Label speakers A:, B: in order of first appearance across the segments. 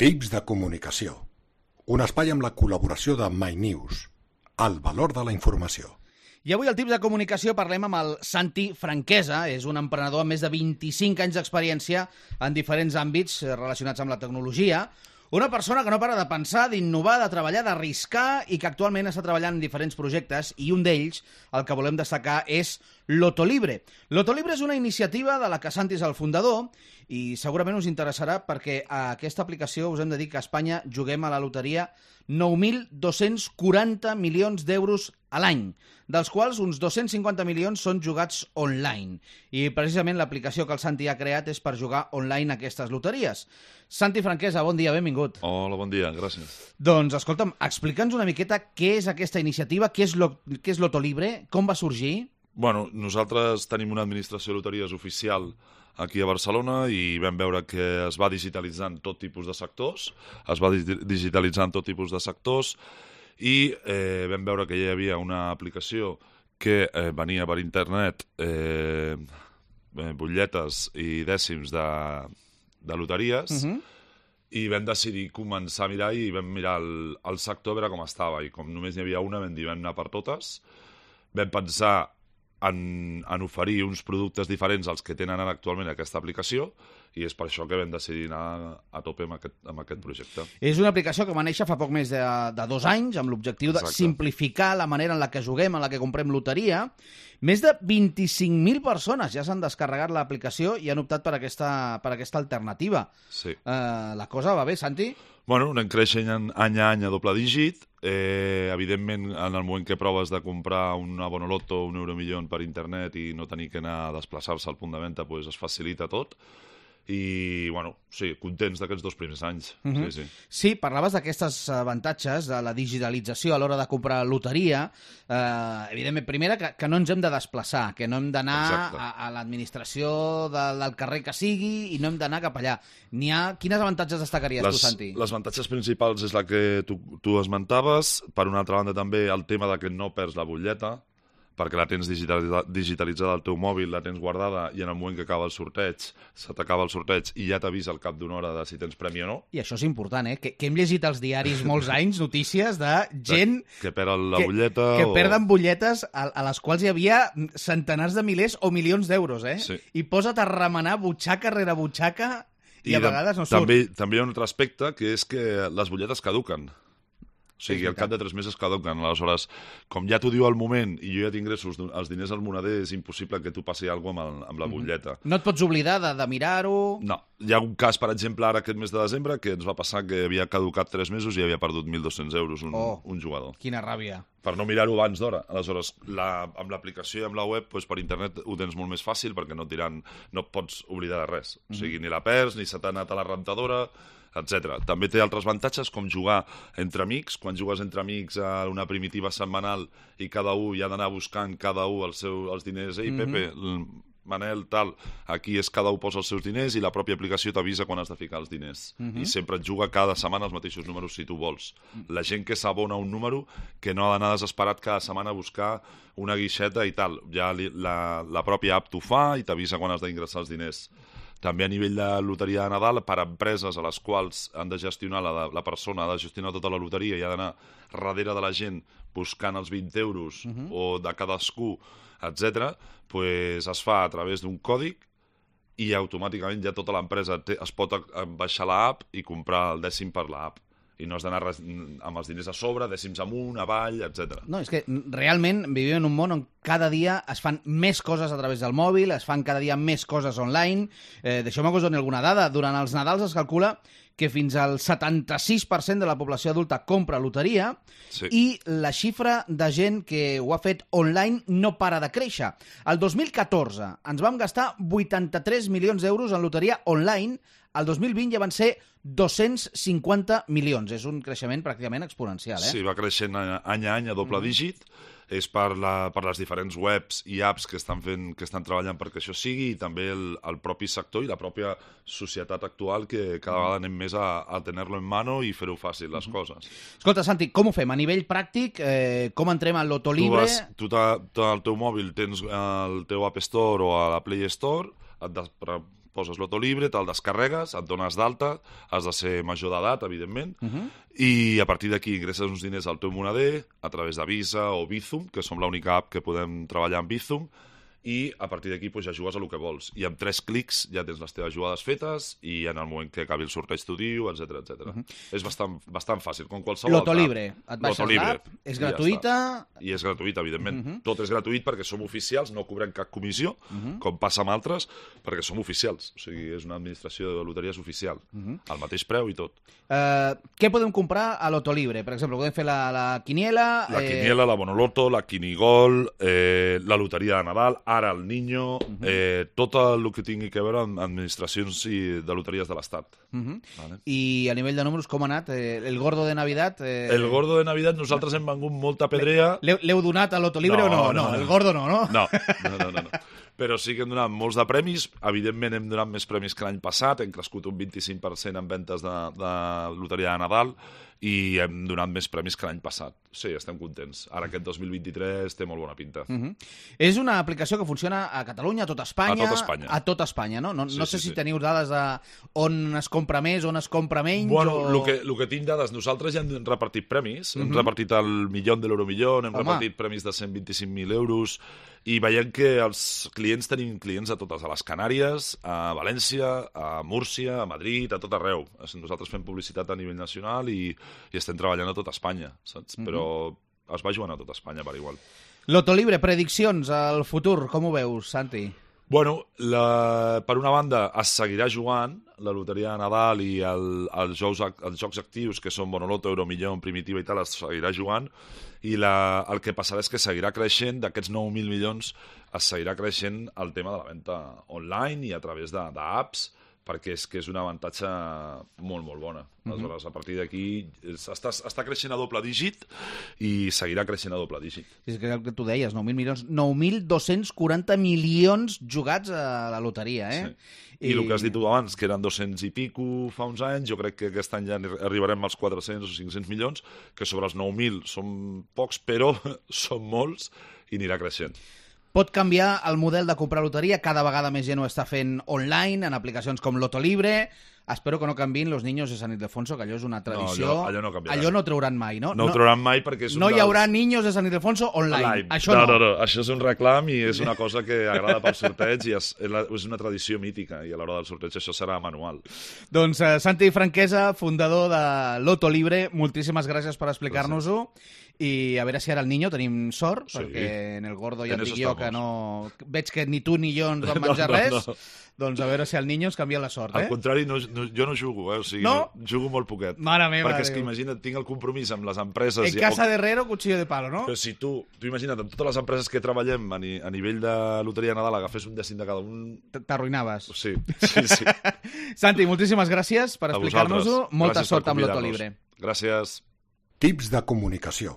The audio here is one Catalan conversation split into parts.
A: Tips de comunicació. Un espai amb la col·laboració de MyNews. El valor de la informació.
B: I avui al Tips de comunicació parlem amb el Santi Franquesa. És un emprenedor amb més de 25 anys d'experiència en diferents àmbits relacionats amb la tecnologia. Una persona que no para de pensar, d'innovar, de treballar, d'arriscar i que actualment està treballant en diferents projectes i un d'ells, el que volem destacar, és Lotolibre. Lotolibre és una iniciativa de la que Santi és el fundador i segurament us interessarà perquè a aquesta aplicació us hem de dir que a Espanya juguem a la loteria 9.240 milions d'euros a l'any, dels quals uns 250 milions són jugats online. I precisament l'aplicació que el Santi ha creat és per jugar online aquestes loteries. Santi Franquesa, bon dia, benvingut.
C: Hola, bon dia, gràcies.
B: Doncs, escolta'm, explica'ns una miqueta què és aquesta iniciativa, què és Lotolibre, com va sorgir?
C: Bueno, nosaltres tenim una administració de loteries oficial aquí a Barcelona i vam veure que es va digitalitzant tot tipus de sectors, i vam veure que hi havia una aplicació que venia per internet butlletes i dècims de loteries, i vam decidir començar a mirar i vam mirar el sector a veure com estava, i com només n'hi havia una vam dir vam anar per totes. Vam pensar en oferir uns productes diferents als que tenen ara actualment aquesta aplicació i és per això que vam decidir anar a tope amb aquest projecte.
B: És una aplicació que va néixer fa poc més de 2 anys amb l'objectiu de simplificar la manera en la que juguem, en la que comprem loteria. Més de 25.000 persones ja s'han descarregat l'aplicació i han optat per aquesta alternativa.
C: Sí.
B: La cosa va bé, Santi?
C: Bueno, anem creixent any a any a doble dígit. Evidentment, en el moment que proves de comprar una Bonoloto, un Euromillón per internet i no tenir que anar a desplaçar-se al punt de venda, doncs es facilita tot. I, bueno, sí, contents d'aquests 2 primers anys.
B: Sí, parlaves d'aquestes avantatges de la digitalització a l'hora de comprar loteria. Evidentment, primera, que no ens hem de desplaçar, que no hem d'anar a l'administració del carrer que sigui i no hem d'anar cap allà. Quines avantatges destacaries tu, Santi?
C: Les avantatges principals és la que tu esmentaves. Per una altra banda, també el tema de que no perds la butlleta, perquè la tens digitalitzada al teu mòbil, la tens guardada i en el moment que acaba el sorteig, se t'acaba el sorteig i ja t'avisa al cap d'una hora de si tens premi o no.
B: I això és important, que hem llegit als diaris molts anys notícies de gent
C: que perd la butlleta
B: que perden butlletes a les quals hi havia centenars de milers o milions d'euros,
C: Sí.
B: I posa't a remenar butxaca rere butxaca i a vegades no surt.
C: També hi ha un altre aspecte, que és que les butlletes caduquen. O sigui, al cap de 3 mesos caduquen. Aleshores, com ja t'ho diu al moment i jo ja tinc els diners al moneder, és impossible que tu passi alguna cosa amb la butlleta.
B: No et pots oblidar de mirar-ho?
C: No. Hi ha un cas, per exemple, ara aquest mes de desembre, que ens va passar que havia caducat 3 mesos i havia perdut 1.200 euros un jugador.
B: Quina ràbia.
C: Per no mirar-ho abans d'hora. Aleshores, amb l'aplicació i amb la web, per internet ho tens molt més fàcil perquè no et pots oblidar de res. O sigui, ni la perds, ni se t'ha anat a la rentadora, etc. També té altres avantatges, com jugar entre amics. Quan jugues entre amics a una primitiva setmanal i cada un hi ha d'anar buscant cada un els diners. Ei, Pepe, Manel, tal, aquí és cada un posa els seus diners i la pròpia aplicació t'avisa quan has de ficar els diners. I sempre et juga cada setmana els mateixos números si tu vols. La gent que s'abona un número, que no ha d'anar desesperat cada setmana a buscar una guixeta i tal. Ja la pròpia app t'ho fa i t'avisa quan has d'ingressar els diners. També a nivell de loteria de Nadal, per a empreses a les quals han de gestionar, la persona ha de gestionar tota la loteria i ha d'anar darrere de la gent buscant els 20 euros o de cadascú, etc., doncs es fa a través d'un còdig i automàticament ja tota l'empresa es pot baixar l'app i comprar el dècim per l'app. I no has d'anar amb els diners a sobre, dècims amunt, avall, etc.
B: No, és que realment vivim en un món on cada dia es fan més coses a través del mòbil, es fan cada dia més coses online. Deixeu-me que us doni alguna dada. Durant els Nadals es calcula que fins al 76% de la població adulta compra loteria i la xifra de gent que ho ha fet online no para de créixer. El 2014 ens vam gastar 83 milions d'euros en loteria online. El 2020 ja van ser 250 milions. És un creixement pràcticament exponencial.
C: Sí, va creixent any a any a doble dígit. És per les diferents webs i apps que estan treballant perquè això sigui, i també el propi sector i la pròpia societat actual, que cada vegada anem més a tenir-lo en mano i fer-ho fàcil, les coses.
B: Escolta, Santi, com ho fem? A nivell pràctic, com entrem al Lotolibre?
C: Tu al teu mòbil tens el teu App Store o a la Play Store, poses Loto Libre, te'l descarregues, et dones d'alta, has de ser major d'edat, evidentment, i a partir d'aquí ingresses uns diners al teu moneder a través de Visa o Bizum, que som l'única app que podem treballar amb Bizum, i a partir d'aquí ja jugues a lo que vols. I amb 3 clics ja tens les teves jugades fetes i en el moment que acabi el sorteig t'ho diu, etc. És bastant fàcil, com qualsevol
B: Loto
C: altra.
B: Libre, et baixes l'app, és gratuïta...
C: I és gratuïta, evidentment. Tot és gratuït perquè som oficials, no cobrem cap comissió, com passa amb altres, perquè som oficials. O sigui, és una administració de loteries oficial, al mateix preu i tot.
B: Què podem comprar a Loto Libre? Per exemple, podem fer la quiniela...
C: La quiniela, la Bonoloto, la Quinigol, la loteria de Nadal, ara el Niño, tot el que tingui a veure amb administracions de loteries de l'Estat. Vale?
B: I a nivell de números, com ha anat? El Gordo de Navidad...
C: El Gordo de Navidad, nosaltres hem vengut molta pedrea...
B: L'heu donat a Loto Libre o no? No, el Gordo no, no?
C: No. Però sí que hem donat molts de premis. Evidentment hem donat més premis que l'any passat. Hem crescut un 25% en ventes de loteria de Nadal i hem donat més premis que l'any passat. Sí, estem contents. Ara aquest 2023 té molt bona pinta.
B: És una aplicació que funciona a Catalunya, a tot Espanya...
C: A tot Espanya.
B: A tot Espanya, no? No sé si teniu dades de on es compra més, on es compra menys...
C: Bueno, el que tinc dades, nosaltres ja hem repartit premis. Hem repartit el milió de l'Euromillón, hem repartit premis de 125.000 euros i veiem que els clients tenim clients a totes, a les Canàries, a València, a Múrcia, a Madrid, a tot arreu. Nosaltres fem publicitat a nivell nacional i estem treballant a tot Espanya, saps? Però es va jugant a tot Espanya per igual.
B: Loto Libre, prediccions al futur, com ho veus, Santi?
C: Bueno, per una banda es seguirà jugant la loteria de Nadal i els jocs actius que són Bonoloto, Euromillón, Primitiva i tal, es seguirà jugant i el que passarà és que seguirà creixent, d'aquests 9.000 milions es seguirà creixent el tema de la venda online i a través d'apps, perquè és un avantatge molt, molt bona. Aleshores, a partir d'aquí està creixent a doble dígit i seguirà creixent a doble dígit.
B: És que el que tu deies, 9.000 milions, 9.240 milions jugats a la loteria, eh?
C: Sí. I el que has dit tu abans, que eren 200 i pico fa uns anys, jo crec que aquest any ja arribarem als 400 o 500 milions, que sobre els 9.000 són pocs, però són molts i anirà creixent.
B: Pot canviar el model de comprar loteria, cada vegada més gent ho està fent online, en aplicacions com Loto Libre. Espero que no canviïn los niños de San Ildefonso, que allò és una tradició.
C: No, allò no canviarà.
B: Allò no trauran mai, no?
C: No ho trauran mai perquè és
B: no hi haurà niños de San Ildefonso online. Això no.
C: No, això és un reclam i és una cosa que agrada pel sorteig i és una tradició mítica i a l'hora del sorteig això serà manual.
B: Doncs Santi Franquesa, fundador de Loto Libre, moltíssimes gràcies per explicar-nos-ho. I a veure si ara el Niño tenim sort, perquè en el Gordo ja et dic jo que no... Veig que ni tu ni jo ens vam menjar res. Doncs a veure si el Niño ens canvia la sort,
C: Al contrari, jo no jugo, o sigui, jugo molt poquet.
B: Mare meva,
C: perquè és que imagina't, tinc el compromís amb les empreses...
B: En casa de herrero, cuchillo de palo, no?
C: Però si tu imagina't, amb totes les empreses que treballem a nivell de loteria de Nadal, agafés un dècim de cada un...
B: T'arruïnaves.
C: Sí.
B: Santi, moltíssimes gràcies per explicar-nos-ho. Molta sort amb Loto Libre.
C: Gràcies.
A: Tips de comunicació.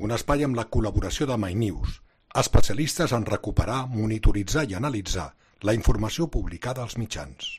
A: Un espai amb la col·laboració de MyNews, especialistes en recuperar, monitoritzar i analitzar la informació publicada als mitjans.